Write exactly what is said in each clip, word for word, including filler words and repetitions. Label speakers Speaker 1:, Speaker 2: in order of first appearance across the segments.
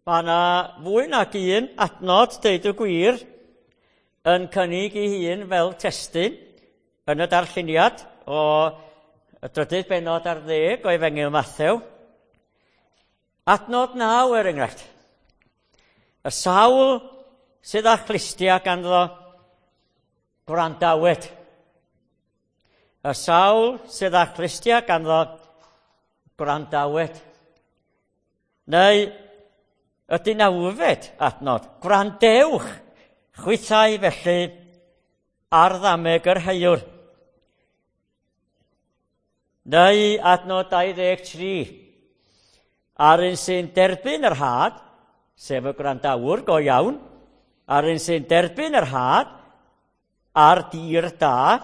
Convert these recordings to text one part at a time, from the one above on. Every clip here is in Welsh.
Speaker 1: Mae yna fwy nag un adnod, deud y gwir, yn cynnig ei hun fel testun yn y darlleniad o y drydydd bennod ar ddeg o Efengyl Mathew. Adnod naw er enghraifft. Y sawl sydd â chlustiau ganddo gwrandawed. Y sawl sydd â chlustiau ganddo gwrandawed. Neu y deunawfed adnod, gwrandewch chwithau felly ar ddameg yr heuwr. Neu adnod dau ddeg tri, a'r un sy'n derbyn yr had, sef y gwrandawr go iawn, a'r un sy'n derbyn yr had ar dir da,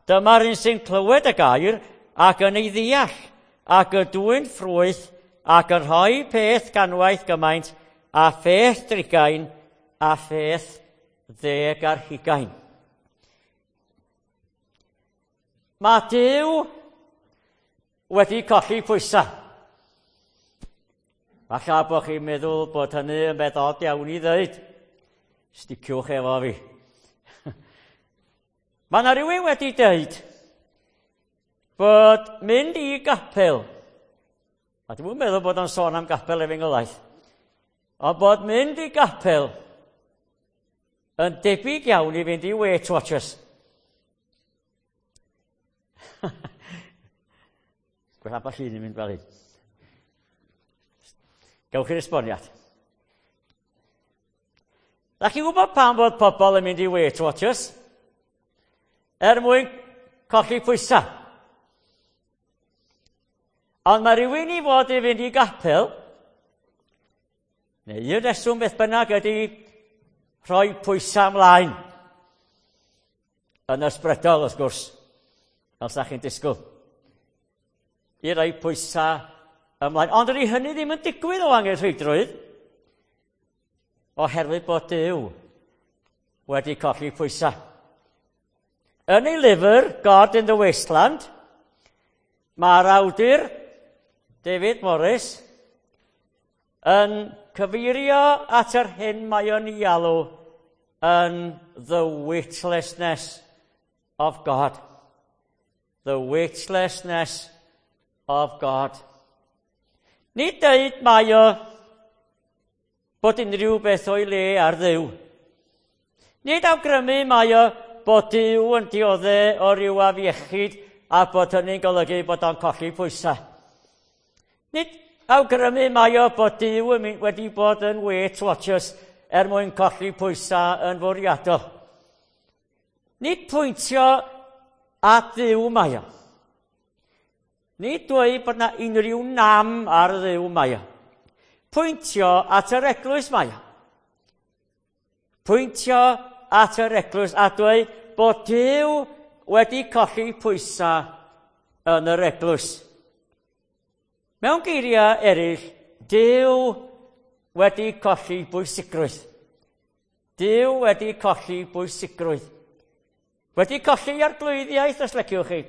Speaker 1: dyma'r un sy'n clywed y gair ac yn ei ddeall, ac y dwyn ffrwyth ac yn rhoi peth ganwaith gymaint a pheth drigain a pheth ddeg ar hugain. Mae Duw wedi colli pwysau. Falle bod chi'n meddwl bod hynny yn beth od iawn i ddweud. Sticiwch efo fi. Mae yna rhywun wedi dweud bod mynd i gapel, a dwi'm yn meddwl bod o'n sôn am gapel efengylaeth, ond bod mynd i gapel yn debyg iawn i fynd i Weight Watchers. Gwell ambell un yn mynd fel hyn. Gewch chi'r esboniad. Da chi'n gwybod pam bod pobl yn mynd i Weight Watchers? Er mwyn colli pwysau. Ond mae rhywun i fod i fynd i gapel, neu un reswm beth bynnag ydy rhoi pwysau ymlaen. Yn ysbrydol, wrth gwrs, fel sa chi'n disgwyl. I roi pwysau ymlaen. Ond ydy hynny ddim yn digwydd o angenrheidrwydd, oherwydd bod Duw wedi colli pwysau. Yn ei lyfr, God in the Wasteland, mae'r awdur, David Morris, yn cyfeirio at yr hyn mae o'n ei alw yn the weightlessness of God. The weightlessness of God. Nid dweud mae o bod unrhyw beth o'i le ar Dduw. Nid awgrymu mae o bod Duw yn dioddef o ryw afiechyd a bod hynny'n golygu bod o'n colli pwysau. Nid awgrymu mae o bod Duw wedi bod yn Weight Watchers er mwyn colli pwysau yn fwriadol. Nid pwyntio at Dduw mae o. Nid dweud bod na unrhyw nam ar Dduw mae o. Pwyntio at yr eglwys mae o. Pwyntio at yr eglwys a dweud bod Duw wedi colli pwysau yn yr eglwys. Mewn geiriau eraill, Duw wedi colli bwysigrwydd. Duw wedi colli bwysigrwydd. Wedi colli arglwyddiaeth, os leciwch chi.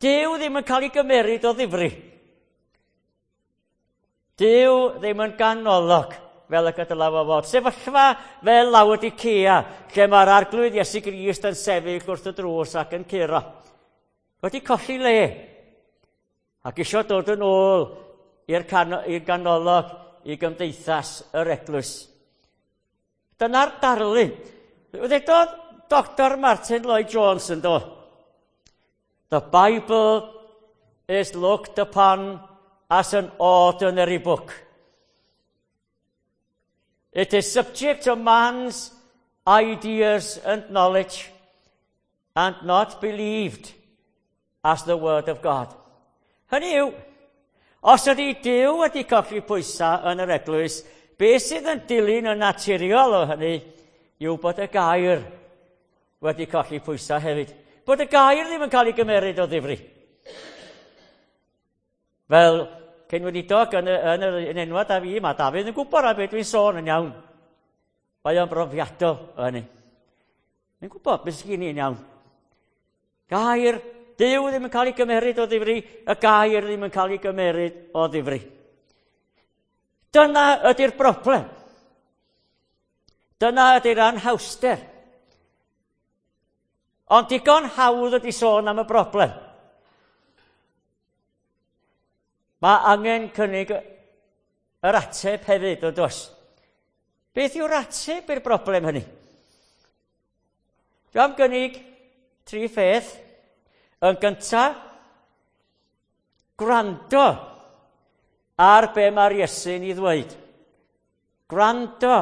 Speaker 1: Duw ddim yn cael ei gymeryd o ddifri. Duw ddim yn ganolog fel y gydala fo fod. Sefyllfa fel Laodicea, lle mae'r arglwydd Iesu Grist yn sefyll wrth y drws ac yn curo. Wedi colli le. Ac isio dod yn ôl i'r ganolog i gymdeithas yr eglwys. Dyna'r darlun. Ddedodd Doctor Martin Lloyd Jones yn do. The Bible is looked upon as an ordinary book. It is subject to man's ideas and knowledge and not believed as the word of God. Hynny yw, os ydy Duw wedi colli pwysau yn yr eglwys, beth sydd yn dilyn yn naturiol o hynny yw bod y gair wedi colli pwysau hefyd. Bod y gair ddim yn cael ei gymeryd o ddifri. Fel cyn-weinidog yn, yn, yn enwad a fi, mae Dafydd yn gwybod am beth dwi'n sôn yn iawn. Mae o'n brofiadol o hynny. Mae'n gwybod beth sydd gen i'n iawn. Gair Duw ddim yn cael ei gymeryd o ddifri, y gair ddim yn cael ei gymeryd o ddifri. Dyna ydy'r broblem. Dyna ydy'r anhawster. Ond digon hawdd ydy sôn am y broblem. Mae angen cynnig yr ateb hefyd, yn does? Beth yw'r ateb i'r broblem hynny? Dwi am gynnig tri pheth. Yn gyntaf, gwrando ar be mae'r Iesu'n ei ddweud. Gwrando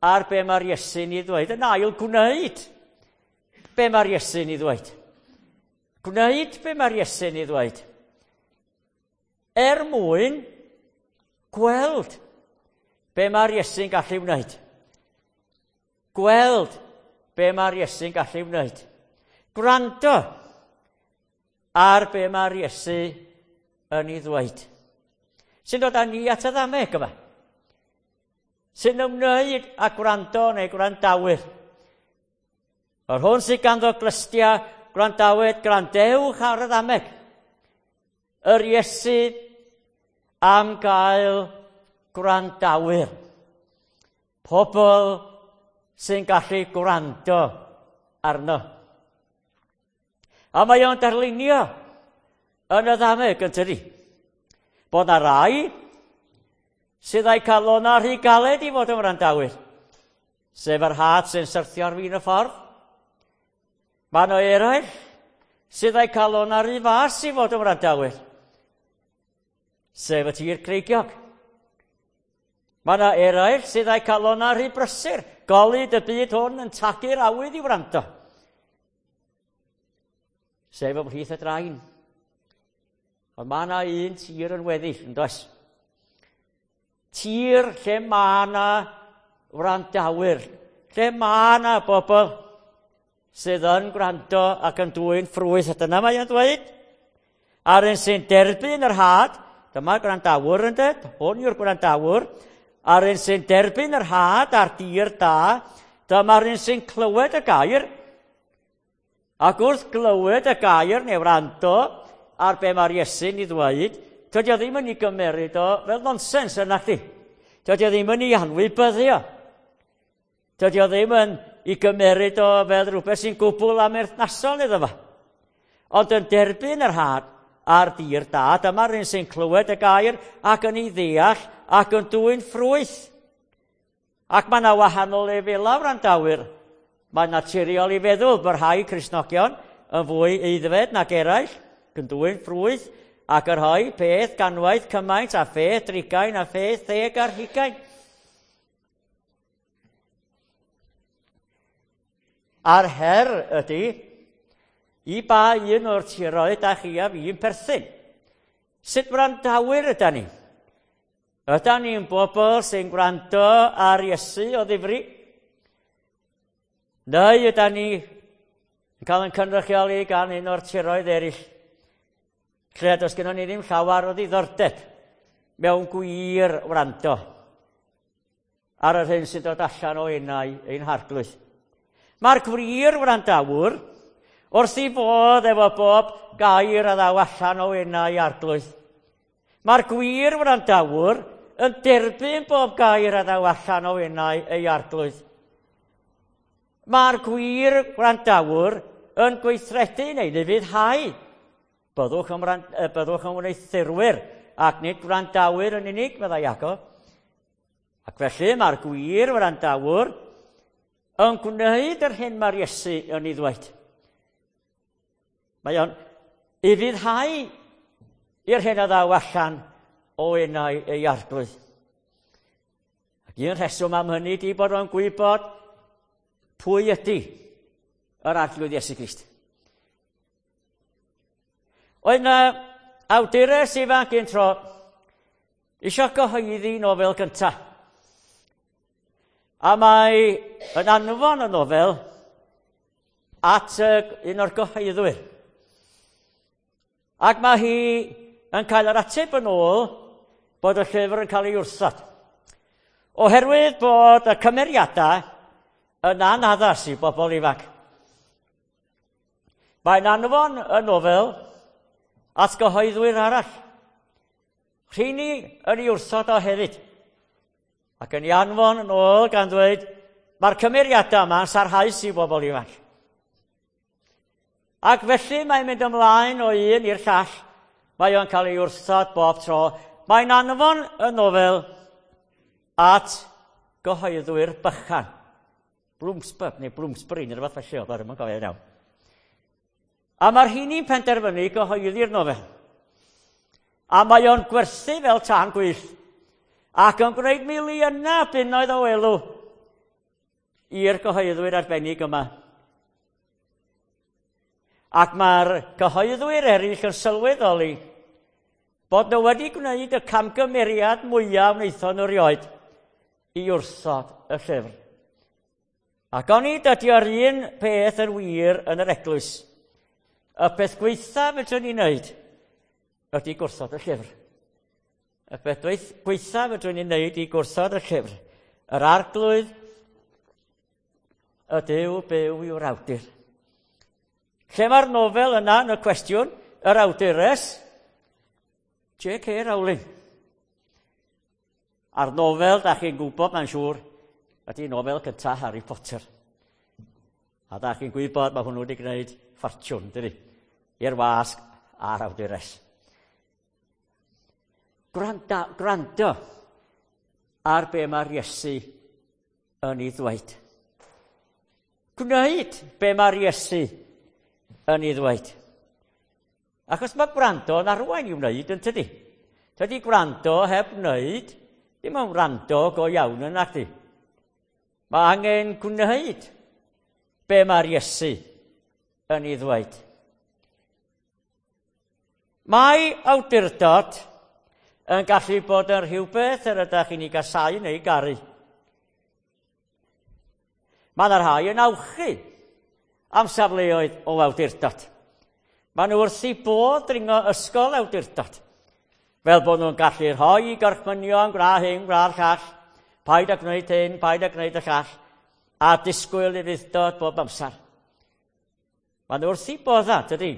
Speaker 1: ar be mae'r Iesu'n ei ddweud. Yn ail, gwneud be mae'r Iesu'n ei ddweud. Gwneud be mae'r Iesu'n ei ddweud. Er mwyn gweld be mae'r Iesu'n gallu wneud. Gweld be mae'r Iesu'n gallu wneud. Gwrando ar be mae'r Iesu yn ei ddweud. Sy'n dod â ni at y ddameg yma. Sy'n ymwneud â gwrando neu gwrandawyr. Yr hwn sydd ganddo glystia, gwrandawyd, gwrandewch ar y ddameg. Yr Iesu am gael gwrandawyr. Pobl sy'n gallu gwrando arno. A mae o'n darlunio yn y ddameg yn tydi. Bod na rai sydd â'i calonnau rhy galed i fod yn wrandawyr. Sef yr had sy'n syrthio ar fin y ffordd. Mae yna eraill sydd â'i calonnau rhy fas i fod yn wrandawyr. Sef y tir creigiog. Mae yna eraill sydd â'i calonnau rhy brysur. Golud y byd hwn yn tagu'r awydd i wrando. Sef ymhlith y drain. Ond mae yna un tir yn weddill, yn does? Tir lle mae yna wrandawyr, lle mae yna bobl sydd yn gwrando ac yn dwyn ffrwyth. A dyna mae o'n dweud. A'r un sy'n derbyn yr had, dyma'r gwrandawr yn dweud, hwn yw'r gwrandawr, a'r un sy'n derbyn yr had ar dir da, dyma'r un sy'n clywed y gair, ac wrth glywed y gair neu wrando ar be mae'r Iesu'n ei ddweud, dydy o ddim yn ei gymeryd o fel nonsens yna chdi. Dydy o ddim yn ei anwybyddu o. Dydy o ddim yn ei gymeryd o fel rhywbeth sy'n gwbl amherthnasol iddo fo. Ond yn derbyn yr had a'r dir da, dyma'r un sy'n clywed y gair ac yn ei ddeall ac yn dwyn ffrwyth. Ac mae yna wahanol lefelau wrandawyr. Mae'n naturiol i feddwl bod rhai Cristnogion yn fwy aeddfed nag eraill, yn dwyn ffrwyth, ac yr rhai peth ganwaith cymaint a pheth drigain a pheth ddeg ar hugain. A'r her ydy, i ba un o'r tiroedd da chi a fi'n perthyn? Sut wrandawyr yda ni? Yda ni'n bobl sy'n gwrando ar Iesu o ddifri? Neu yda ni yn cael ein cynrychioli gan un o'r tiroedd eraill, lle does gennon ni ddim llawer o ddiddordeb mewn gwir wrando ar yr hyn sy'n dod allan o enau ein harglwydd. Mae'r gwir wrandawr wrth ei fodd efo bob gair a ddaw allan o enau arglwydd. Mae'r gwir wrandawr yn derbyn bob gair a ddaw allan o enau ei arglwydd. Mae'r gwir wrandawr yn gweithredu neu ufuddhau. Byddwch yn, byddwch yn wneuthurwyr ac nid gwrandawyr yn unig, meddai Iago. Ac felly mae'r gwir wrandawr yn gwneud yr hyn mae'r Iesu yn ei ddweud. Mae o'n ufuddhau i'r hyn a ddaw allan o enau ei arglwydd. Ac un rheswm am hynny di bod o'n gwybod pwy ydy yr arglwydd Iesu Grist. Oedd yna awdures ifanc un tro isio gyhoeddi nofel gyntaf. A mae yn anfon y nofel at un o'r gyhoeddwyr. Ac mae hi yn cael yr ateb yn ôl bod y llyfr yn cael ei wrthod. Oherwydd bod y cymeriadau yn anaddas i bobl ifanc. Mae'n anfon y nofel at gyhoeddwyr arall. Rheini yn ei wrthod o hefyd. Ac yn ei anfon yn ôl gan ddweud, mae'r cymeriadau yma yn sarhaus i bobl ifanc. Ac felly mae'n mynd ymlaen o un i'r llall. Mae o'n cael ei wrthod bob tro. Mae'n anfon y nofel at gyhoeddwyr bychan. Bloomsbury, neu Bloomsbury, neu rhywbeth felly oedd ar yma'n gofio iawn. A mae'r rheini'n penderfynu gyhoeddi'r nofel. A mae o'n gwerthu fel tân gwyllt. Ac yn gwneud miliynau bunnoedd o elw i'r gyhoeddwyr arbennig yma. Ac mae'r cyhoeddwyr eraill yn sylweddoli bod nhw wedi gwneud y camgymeriad mwyaf wnaethon nhw erioed i wrthod y llyfr. Ac onid ydy'r un peth yn wir yn yr eglwys. Y peth gwaetha fedrwn ni wneud ydy gwrthod y llyfr. Y peth gwaetha fedrwn ni wneud i gwrthod y llyfr. Yr Arglwydd y Duw byw yw'r awdur. Lle mae'r nofel yna yn y cwestiwn, yr awdures, J K Rowling. A'r nofel, da chi'n gwybod, mae'n siŵr, ydy nofel cyntaf Harry Potter. A da chi'n gwybod, mae hwnnw wedi gwneud ffortiwn, dydy, i'r wasg a'r awdures. Gwrando, gwrando ar be mae'r Iesu yn ei ddweud. Gwneud be mae'r Iesu yn ei ddweud. Achos mae gwrando yn arwain i wneud, yn tydi? Tydi gwrando heb wneud, ddim yn wrando go iawn yn nacdi. Mae angen gwneud be mae'r Iesu yn ei ddweud. Mae awdurdod yn gallu bod yn rhywbeth yr ydych chi'n ei gasau neu garu. Mae yna rhai yn awchu am safleoedd o awdurdod. Maen nhw wrth eu bodd dringo ysgol awdurdod. Fel bod nhw'n gallu rhoi i gorchmynion, gwna hyn, gwna'r llall, paid â gwneud hyn, paid â gwneud y llall, a disgwyl ufudd-dod bob amser. Maen nhw wrth eu bodda, dydy,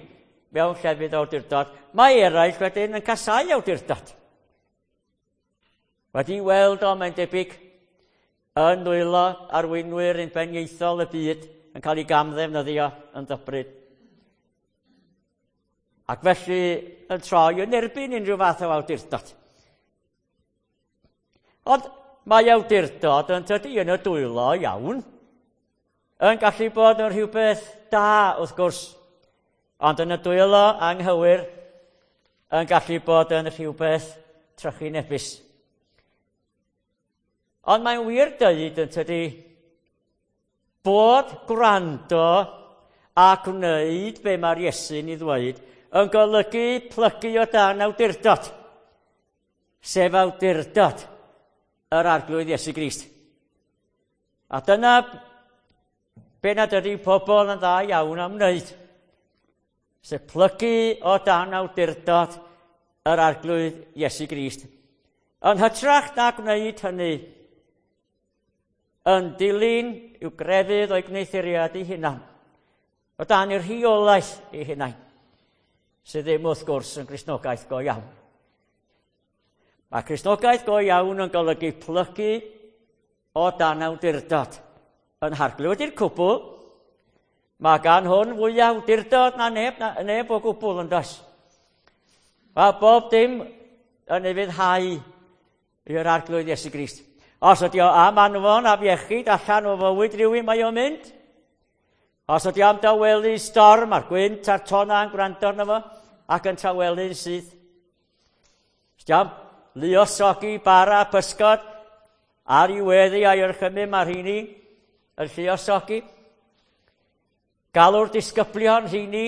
Speaker 1: mewn llefydd awdurdod. Mae eraill wedyn yn casau awdurdod. Wedi weld o, mae'n debyg, yn nwylo arweinwyr unbenieithol y byd yn cael ei gamddefnyddio yn ddybryd. Ac felly yn troi yn erbyn unrhyw fath o awdurdod. Ond mae awdurdod yn tydi yn y dwylo iawn, yn gallu bod yn rhywbeth da wrth gwrs, ond yn y dwylo anghywir yn gallu bod yn rhywbeth trychinebus. Ond mae'n wir dweud yn tydi bod gwrando a gwneud be mae'r Iesu'n ei ddweud yn golygu plygu o dan awdurdod, sef awdurdod yr Arglwydd Iesu Grist. A dyna be nad ydy pobl yn dda iawn am wneud, sef plygu o dan awdurdod yr Arglwydd Iesu Grist. Yn hytrach na gwneud hynny, yn dilyn i'w grefydd o'i gwneuthuriad ei hunan, o dan i'r rheolaeth ei hunain, sydd ddim wrth gwrs yn Gristnogaeth go iawn. Mae Cristnogaeth go iawn yn golygu plygu o dan awdurdod yn Harglwydd. Wedi'r cwbl, mae gan hwn fwy awdurdod na neb, na neb o gwbl yn does. Mae bob dim yn ufuddhau i'r Arglwydd Iesu Grist. Os ydy o am anfon afiechyd allan o fywyd rhywun, mae o'n mynd. Os ydy o am dawelu storm a'r gwynt a'r tonnau yn gwrando arno fo ac yn tawelu'n syth. Os ydy am luosogi bara pysgod ar ei weddi a'i orchymyn, mae'r rheini yn lluosogi. Galw'r disgyblion rheini,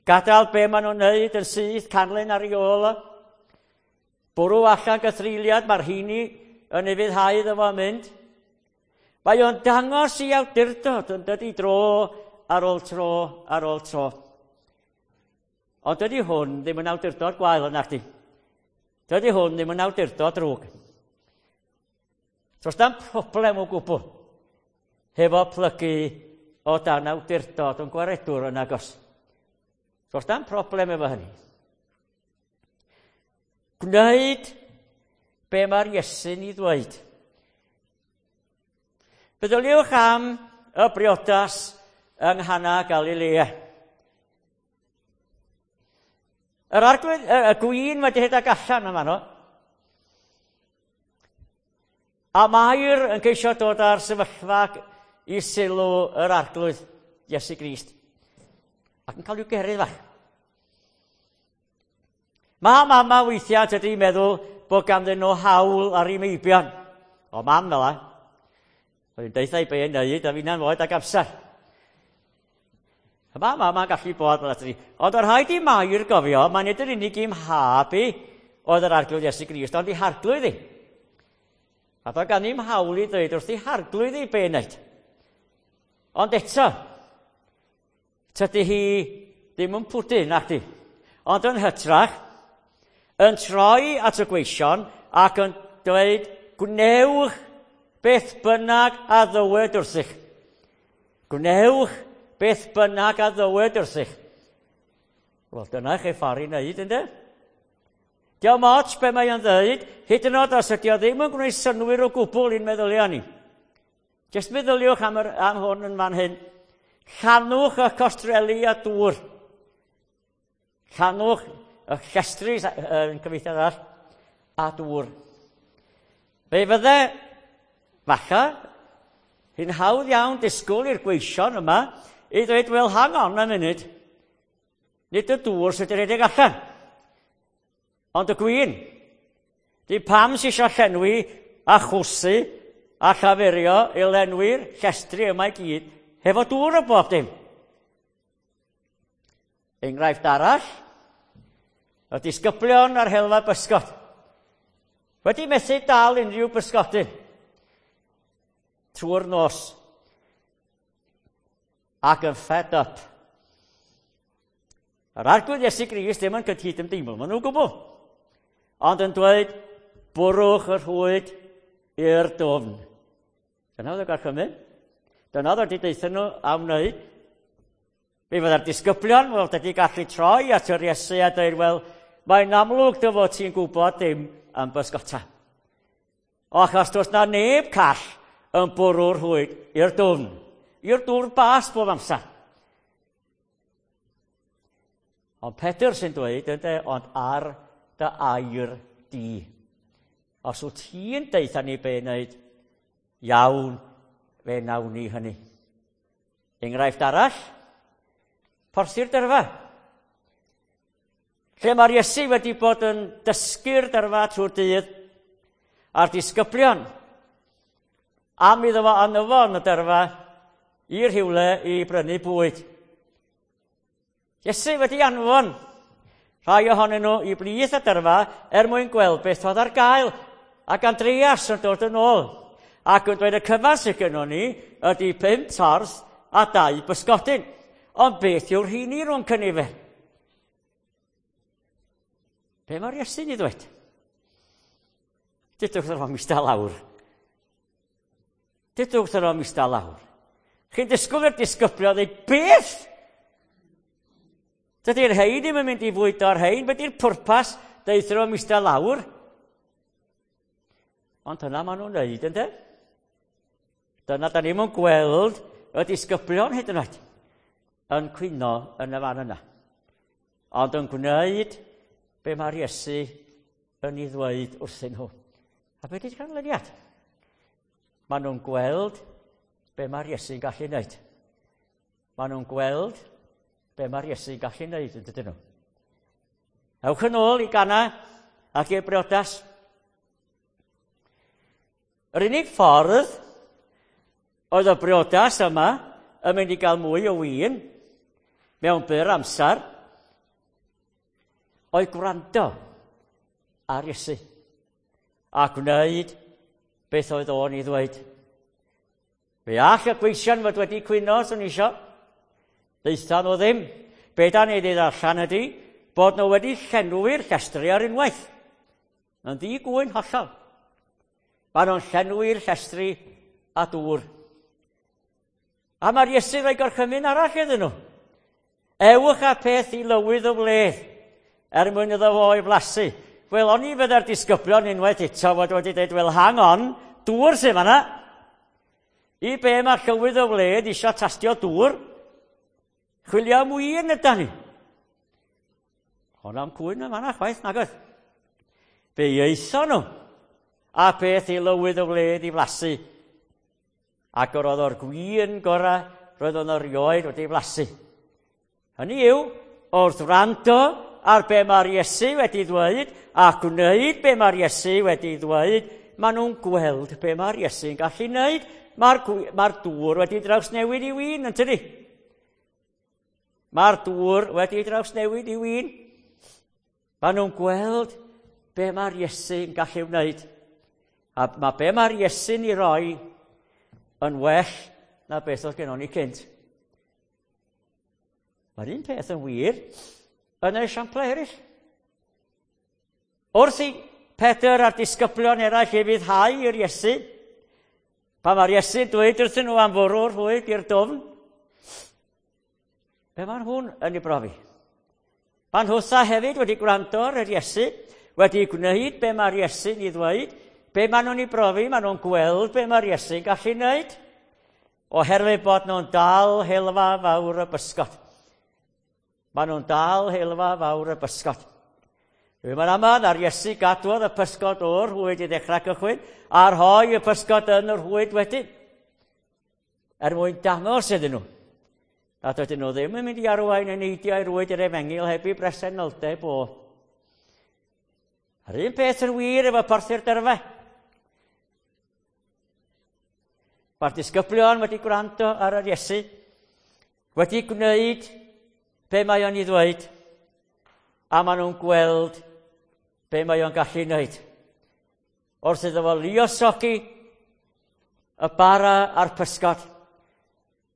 Speaker 1: gadael be maen nhw'n wneud yn syth, canlyn ar ei ôl o. Bwrw allan gythreuliad, mae'r rheini yn ufuddhau iddo fo mynd. Mae o'n dangos i awdurdod yn dydi dro ar ôl tro ar ôl tro. Ond dydy hwn ddim yn awdurdod gwael yna chdi. Dydy hwn ddim yn awdurdod drwg. Does dim problem o gwbl hefo plygu o dan awdurdod yn gwaredwr yn agos. Does dim problem efo hynny. Gwneud be mae'r Iesu'n ei ddweud. Meddyliwch am y briodas yng Nghana Galilea. Yr arglwydd, y, y gwin wedi rhedeg allan yma no. A Mair yn ceisio dod â'r sefyllfa i sylw yr arglwydd Iesu Grist. Ac yn cael i'w gerydd fach. Mae mama weithiau tydi meddwl bod ganddyn nhw hawl ar eu meibion. O mam fel la. Oedd hi'n deutha i be yn neud a fi'na'n oed ag amser. Mae mama'n gallu bod fel ydy. Ond o'r rhaid i Mair gofio, mae'n nid yr unig i'm hab i oedd yr arglwydd Iesu Grist, ond i harglwydd i. A doedd gan i'm hawl i ddweud wrth i harglwydd i be wneud. Ond eto, tydi hi ddim yn pwdu, nac di. Ond yn hytrach, yn troi at y gweision ac yn dweud, gwnewch beth bynnag a ddywed wrthych. Gwnewch beth bynnag a ddywed wrthych. Wel, dyna chi ffordd i wneud, ynddo? Diolch ots be mae o'n dweud, hyd yn oed os ydy o ddim yn gwneud synnwyr o gwbl i'n meddyliau ni. Jyst meddyliwch am, yr, am hwn yn fan hyn. Llanwch y costreli a dŵr. Llanwch y llestri, yn cyfieithiad arall, a dŵr. Fe fydde, falle, hi'n hawdd iawn disgwyl i'r gweision yma i ddweud, wel, hang on a munud, nid y dŵr sydd wedi rhedeg allan, ond y gwin. Di pam sy eisiau llenwi a chwsu a llafurio i lenwi'r llestri yma i gyd hefo dŵr o bob dim. Enghraifft arall, y disgyblion ar helfa bysgod. Wedi methu dal unrhyw bysgodyn trwy'r nos ac yn fed up. Yr arglwydd Iesu Grist ddim yn cydymdeimlo, maen nhw'n gwbl. Ond yn dweud, bwrwch y rhwyd i'r dwfn. Dyna oedd y gorchymyn. Dyna oedd wedi deutha nhw am wneud. Fe fydda'r disgyblion wel, wedi gallu troi at yr Iesu a dweud, wel, mae'n amlwg dy fod ti'n gwybod dim am bysgota. O, achos does na neb call yn bwrw'r rhwyd i'r dwfn, i'r dŵr bas bob amser. Ond Pedr sy'n dweud, ynde, ond ar dy air di. Os wyt ti'n deutha ni be wneud, iawn, fe nawn ni hynny. Enghraifft arall, porthi'r dyrfa. Lle mae'r Iesu wedi bod yn dysgu'r dyrfa trwy'r dydd, a'r disgyblion, am iddo fo anfon y dyrfa i rhywle i brynu bwyd. Iesu wedi anfon rhai ohonyn nhw i blith y dyrfa er mwyn gweld beth oedd ar gael, ac Andreas yn dod yn ôl. Ac yn dweud y cyfan sydd gynnon ni ydy pum torth a dau bysgodyn. Ond beth yw'r rheini rhwng cynifer? Be mae'r Iesu'n ei ddweud? Dudwch wrth o mista lawr. Dudwch wrth o mista lawr. Chi'n disgwyl i'r disgyblion ddweud, beth? Dydy'r rhein ddim yn mynd i fwydo'r rhein, beth yw'r pwrpas deutha nhw mista lawr? Ond dyna maen nhw'n wneud, ynde? Dyna da ni'm yn gweld y disgyblion hyd yn oed yn cwyno yn y fan yna. Ond yn gwneud be mae'r Iesu yn ei ddweud wrthyn nhw. A be di'r canlyniad? Maen nhw'n gweld be mae'r Iesu'n gallu wneud. Maen nhw'n gweld be mae'r Iesu'n gallu wneud, yn dydyn nhw. Ewch yn ôl i Gana ac i'r briodas. Yr unig ffordd oedd y briodas yma yn mynd i gael mwy o win mewn byr amser oedd gwrando ar Iesu a gwneud beth oedd o'n ei ddweud. Fe all y gweision fod wedi cwyno, os o'n isio. Deutha nhw ddim. Be da ni wedi ddarllen ydy bod nhw wedi llenwi'r llestri ar unwaith. Yn ddi-gŵyn hollol. Maen nhw'n llenwi'r llestri a dŵr. A mae'r Iesu rhoi gorchymyn arall iddyn nhw. Ewch â peth i lywydd y wledd, er mwyn iddo fo ei flasu. Wel, o'n i fydda'r disgyblion unwaith eto fod wedi dweud, wel, hang on, dŵr sydd fanna. I be mae llywydd y wled eisiau tastio dŵr? Chwilio am win yda ni. Ond am cwyn yn fanna chwaith, nag oedd. Fe aethon nhw, a beth i lywydd y wled i flasu. Ac yr oedd o'r gwin gorau roedd o'n erioed wedi flasu. Hynny yw, wrth wrando ar be mae'r Iesu wedi ddweud, a gwneud be mae'r Iesu wedi ddweud, maen nhw'n gweld be mae'r Iesu'n gallu wneud. Mae'r, mae'r dŵr wedi drawsnewid i win, yn tydi? Mae'r dŵr wedi drawsnewid i win. Maen nhw'n gweld be mae'r Iesu'n gallu wneud. A mae be mae'r Iesu'n ei roi yn well na beth oedd gennon ni cynt. Mae'r un peth yn wir yn y esiamplau eraill. Wrth i Pedr a'r disgyblion eraill ufuddhau i'r Iesu, pan mae'r Iesu'n dweud wrthyn nhw am fwrw'r rhwyd i'r dwfn, be maen nhw'n yn ei brofi? Maen nhwtha hefyd wedi gwrando ar yr Iesu, wedi gwneud be mae'r Iesu'n ei ddweud, be maen nhw'n ei brofi, maen nhw'n gweld be mae'r Iesu'n gallu wneud, oherwydd bod nhw'n dal helfa fawr y bysgod. Maen nhw'n dal helfa fawr y bysgod. Dwi'n mynd aml na'r Iesu gadwodd y pysgod o'r rhwyd i ddechrau cychwyn, a rhoi y pysgod yn y rhwyd wedyn, er mwyn dangos iddyn nhw nad ydyn nhw ddim yn mynd i arwain y neidiau rwyd i'r efengyl heb i bresenoldeb o. A'r un peth yn wir efo porthi'r dyrfa. Mae'r disgyblion wedi gwrando ar yr Iesu, wedi gwneud be mae o'n ei ddweud, a maen nhw'n gweld be mae o'n gallu wneud. Wrth iddo fo luosogi y bara a'r pysgod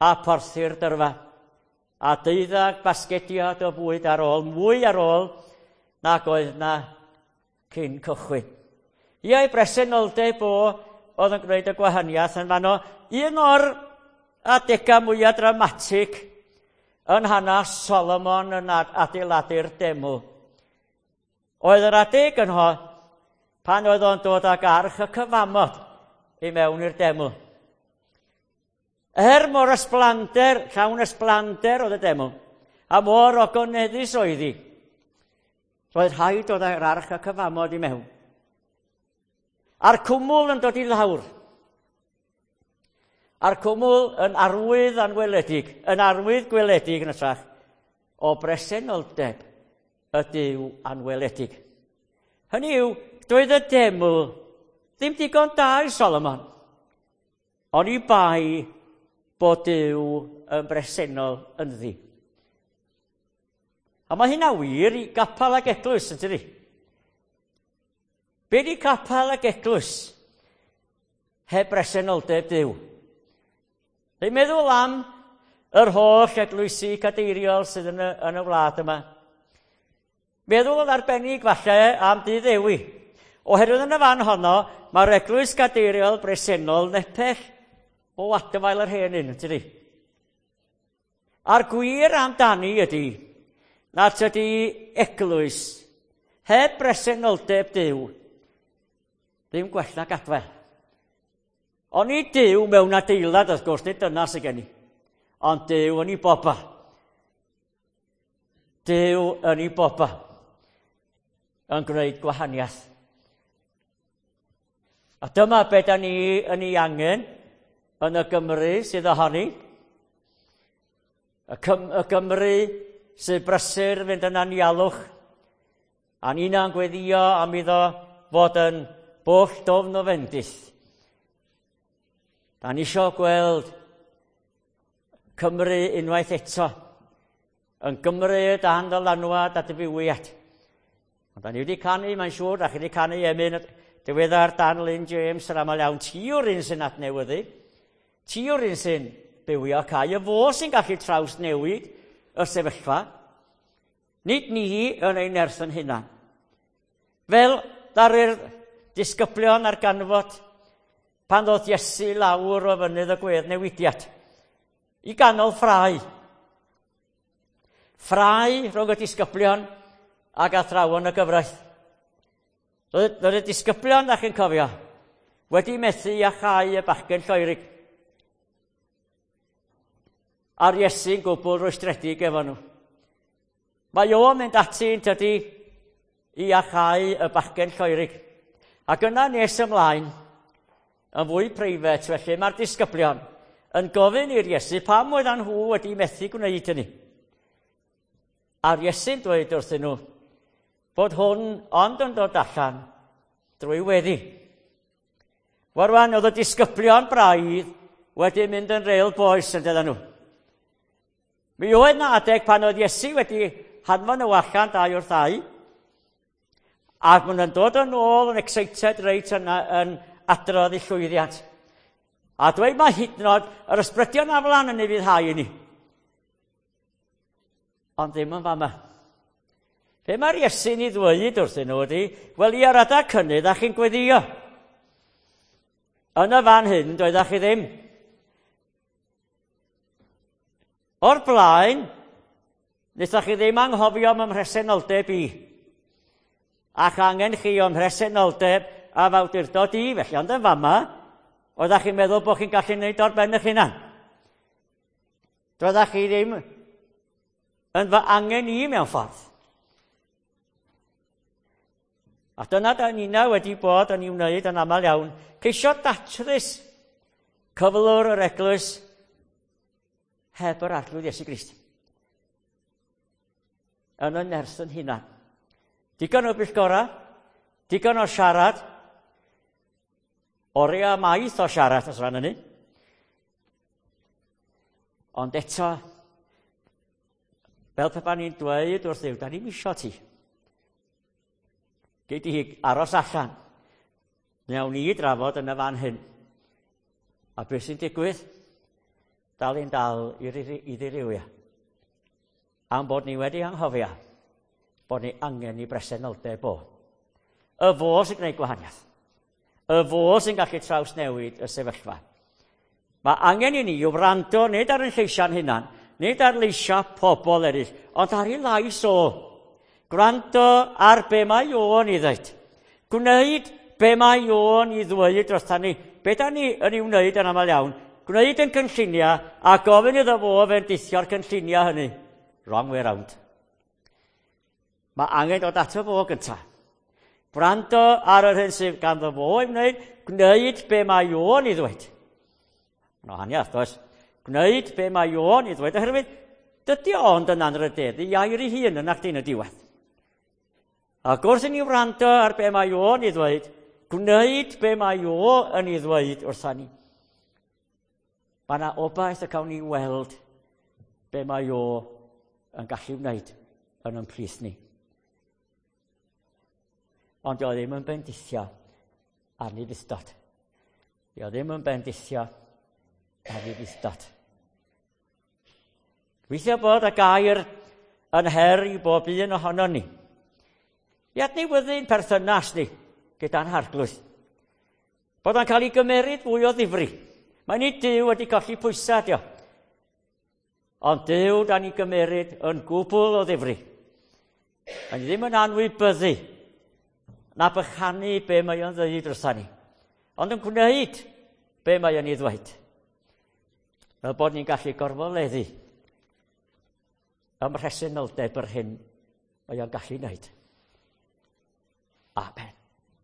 Speaker 1: a porthi'r dyrfa, a deuddag basgediad o fwyd ar ôl, mwy ar ôl nag oedd na cyn cychwyn. Ia, ei bresenoldeb o oedd yn gwneud y gwahaniaeth yn fanno. Un o'r adegau mwyaf dramatig yn hanes Solomon yn adeiladu'r deml oedd yr adeg yn ho pan oedd o'n dod ag arch y cyfamod i mewn i'r deml. Er mor ysblander, llawn ysblander oedd y deml, a mor ogoneddus oedd hi, roedd rhaid dod â'r arch y cyfamod i mewn. A'r cwmwl yn dod i lawr. A'r cwmwl yn arwydd anweledig, yn arwydd gweledig yn hytrach, o bresenoldeb y Duw anweledig. Hynny yw, doedd y deml ddim digon da i Solomon, ond i bai bod Duw yn bresennol ynddi. A mae hynna wir i gapel ag eglwys, yn tydi? Be di capel ag eglwys heb bresenoldeb Duw? Dwi'n meddwl am yr holl eglwysi cadeiriol sydd yn y, yn y wlad yma. Meddwl yn arbennig falle am Dydd Dewi. Oherwydd yn y fan honno, mae'r eglwys gadeiriol bresennol nepell o adfael yr hen un, tydi? A'r gwir amdani ydy nad tydi eglwys heb bresenoldeb Duw ddim gwell na gadfael. Ond i Duw mewn adeilad, wrth gwrs, nid dyna sydd gen i. Ond Duw yn ei bobl. Duw yn ei bobl yn gwneud gwahaniaeth. A dyma be da ni yn ei angen yn y Gymru sydd ohoni. Y, Cym- y Gymru sydd brysur fynd yn anialwch. A ni'na'n gweddio am iddo fod yn bwll dofn o fendith. Da ni isio gweld Cymru unwaith eto yn Gymru dan ddylanwad a dyfywiad. Ond da ni wedi canu, mae'n siŵr, da chi wedi canu emyn diweddar Dan Lynn James yr aml iawn. Ti yw'r un sy'n adnewyddu, ti yw'r un sy'n bywio cae, y fo sy'n gallu trawsnewid y sefyllfa. Nid ni yn ein nerth yn hunan. Fel ddaru'r disgyblion ar ganfod pan ddoth Iesu lawr o fynydd y gwedd newidiad i ganol ffrae. Ffrae rhwng y disgyblion ac athrawon y gyfraith. Roedd y disgyblion, da chi'n cofio, wedi methu iachau y bachgen lloerig. A'r Iesu'n gwbl rwystredig efo nhw. Mae o'n mynd ati yn tydi i iachau y bachgen lloerig. Ac yna nes ymlaen, yn fwy preifat felly, mae'r disgyblion yn gofyn i'r Iesu pam oeddan nhw wedi methu gwneud hynny. A'r Iesu'n dweud wrthyn nhw bod hwn ond yn dod allan drwy weddi. Wel rwan, oedd y disgyblion braidd wedi mynd yn real boys yn dydyn nhw. Mi oedd na adeg pan oedd Iesu wedi hanfon nhw allan dau wrth ddau, ac maen nhw'n dod yn ôl yn excited reit yn, yn adrodd i llwyddiant. A dweud mae hyd yn oed yr ysbrydion aflan yn ei fyddhau i ni. Ond ddim yn fama. Be mae'r Iesu'n ei ddweud wrthyn nhw ydy, wel i ar adeg cynnydd a chi'n gweddio. Yn y fan hyn, doeddach chi ddim. O'r blaen, wnaethoch chi ddim anghofio am mhresenoldeb i. Ac angen chi o'm mhresenoldeb a fawdurdod i, felly ond yn fama, oeddach chi'n meddwl bod chi'n gallu gwneud o'r ben eich hunan. Doeddach chi ddim yn fy angen i mewn ffordd. A dyna da nina wedi bod yn ei wneud yn aml iawn, ceisio datrys cyflwr yr eglwys heb yr Arglwydd Iesu Grist. Yn y nerth yn hunan. Digon o bwyllgora, digon o siarad, oriau maith o siarad os rhan hynny. Ond eto, fel pe bawn ni'n dweud wrth Dduw, da ni'n isio ti. Gei di aros allan. Newn ni drafod yn y fan hyn. A beth sy'n digwydd? Dal i'n dal i ddirywio. Am bod ni wedi anghofio bod ni angen i bresenoldeb o. Y fo sy'n gwneud gwahaniaeth. Y fo sy'n gallu trawsnewid y sefyllfa. Mae angen i ni wrando nid ar ein lleisiau'n hunan, nid ar leisiau pobl eraill, ond ar ei lais o. Gwrando ar be mae o'n ei ddweud. Gwneud be mae o'n ei ddweud drosta ni. Be da ni yn ei wneud yn aml iawn? Gwneud yn cynlluniau a gofyn iddo fo fendithio'r cynlluniau hynny. Wrong way round. Mae angen dod ato fo gyntaf. Gwrando ar yr hyn sydd ganddo fo i wneud, gwneud be mae o'n ei ddweud. Mae'n wahaniaeth, does? Gwneud be mae o'n ei ddweud, oherwydd dydy ond yn anrhydeddu air ei hun yn actyn y diwedd. Ac wrth i ni wrando ar be mae o'n ei ddweud, gwneud be mae o yn ei ddweud wrtha ni. Mae yna obaith y cawn ni weld be mae o yn gallu wneud yn ein plith ni. Ond o ddim yn bendithio ar ni fythdod. Dio ddim yn bendithio ar ni fythdod. Gweithio bod y gair yn her i bob un ohonon ni. I adnewyddu'n perthynas ni gyda'n Harglwydd. Bod o'n cael ei gymeryd fwy o ddifri. Mae nid Duw wedi colli pwysau, dio. Ond Duw da ni gymeryd yn gwbl o ddifri. Mae ni ddim yn anwybyddu na bychanu be mae o'n ddweud wrtha ni. Ond yn gwneud be mae o'n ei ddweud. Fel bod ni'n gallu gorfoleddu ym mhresenoldeb yr hyn mae o'n gallu wneud. Amen.